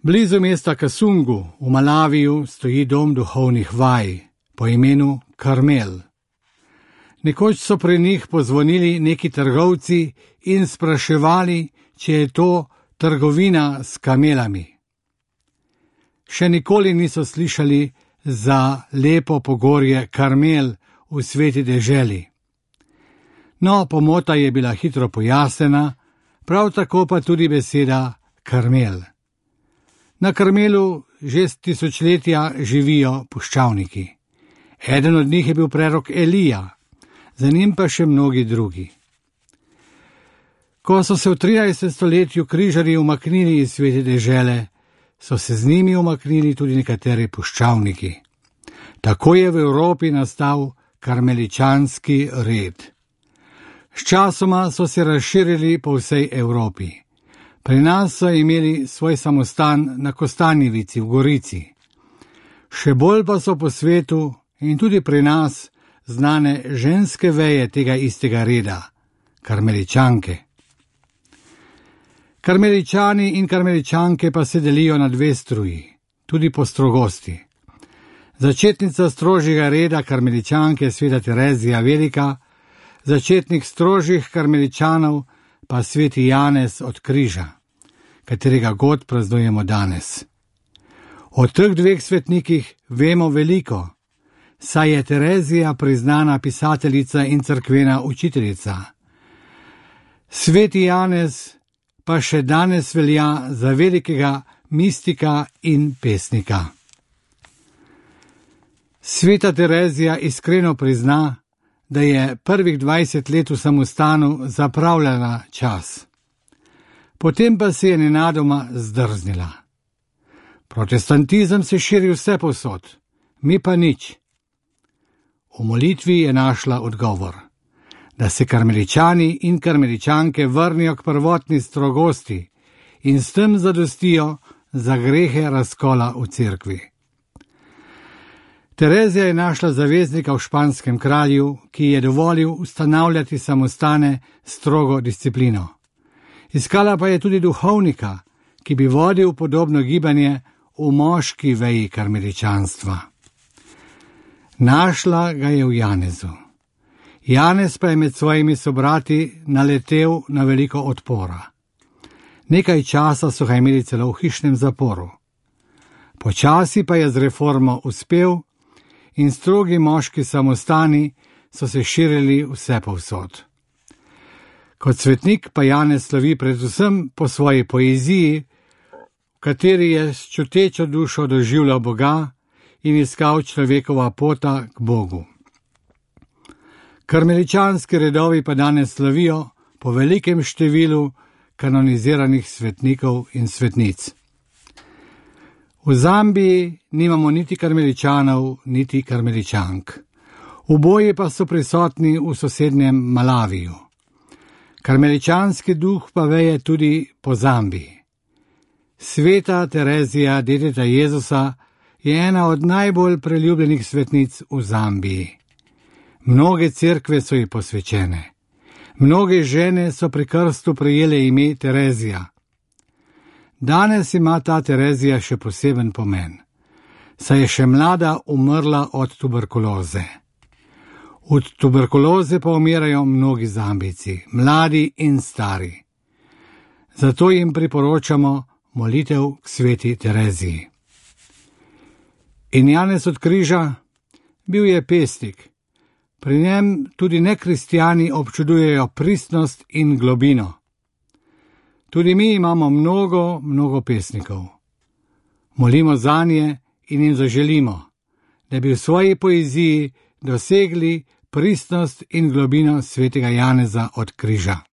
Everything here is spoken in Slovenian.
Blizu mesta Kasungu v Malaviju stoji dom duhovnih vaj po imenu Karmel. Nekoč so pri njih pozvonili neki trgovci in spraševali, če je to trgovina s kamelami. Še nikoli niso slišali za lepo pogorje Karmel v sveti deželi. No, pomota je bila hitro pojasnjena, prav tako pa tudi beseda Karmel. Na Karmelu že tisočletja živijo puščavniki. Eden od njih je bil prerok Elija, za njim pa še mnogi drugi. Ko so se v 13. stoletju križarji umaknili iz svete dežele, so se z njimi umaknili tudi nekateri puščavniki. Tako je v Evropi nastal karmeličanski red. Sčasoma so se razširili po vsej Evropi. Pri nas so imeli svoj samostan na Kostanjevici v Gorici. Še bolj pa so po svetu in tudi pri nas znane ženske veje tega istega reda, karmeličanke. Karmeličani in karmeličanke pa se delijo na dve struji, tudi po strogosti. Začetnica strožjega reda karmeličanke sveta Terezija Velika, začetnik strožjih karmeličanov pa sveti Janez od Križa, katerega god praznujemo danes. O teh dveh svetnikih vemo veliko, saj je Terezija priznana pisateljica in cerkvena učiteljica. Sveti Janez pa še danes velja za velikega mistika in pesnika. Sveta Terezija iskreno prizna, da je prvih 20 let v samostanu zapravljala čas. Potem pa se je nenadoma zdrznila. Protestantizem se širi vse povsod, mi pa nič. V molitvi je našla odgovor, da se karmeličani in karmeličanke vrnijo k prvotni strogosti in s tem zadostijo za grehe razkola v cerkvi. Terezija je našla zaveznika v španskem kralju, ki je dovolil ustanavljati samostane strogo disciplino. Iskala pa je tudi duhovnika, ki bi vodil podobno gibanje v moški veji karmeličanstva. Našla ga je v Janezu. Janez pa je med svojimi sobrati naletel na veliko odpora. Nekaj časa so ga imeli celo v hišnem zaporu. Počasi pa je z reformo uspel in strogi moški samostani so se širili vse povsod. Kot svetnik pa Janez slovi predvsem po svoji poeziji, v kateri je s čutečo dušo doživljal Boga in iskal človekova pota k Bogu. Karmeličanski redovi pa danes slovijo po velikem številu kanoniziranih svetnikov in svetnic. V Zambiji nimamo niti karmeličanov, niti karmeličank. Oboji pa so prisotni v sosednjem Malaviju. Karmeličanski duh pa veje tudi po Zambiji. Sveta Terezija, dedica Jezusa, je ena od najbolj priljubljenih svetnic v Zambiji. Mnoge cerkve so ji posvečene. Mnoge žene so pri krstu prejele ime Terezija. Danes ima ta Terezija še poseben pomen, saj je še mlada umrla od tuberkuloze. Od tuberkuloze pa umirajo mnogi Zambijci, mladi in stari. Zato jim priporočamo molitev k sveti Tereziji. In Janez od Križa bil je pesnik. Pri njem tudi nekristjani občudujejo pristnost in globino. Tudi mi imamo mnogo pesnikov. Molimo zanje in jim zaželimo, da bi v svoji poeziji dosegli pristnost in globino svetega Janeza od Križa.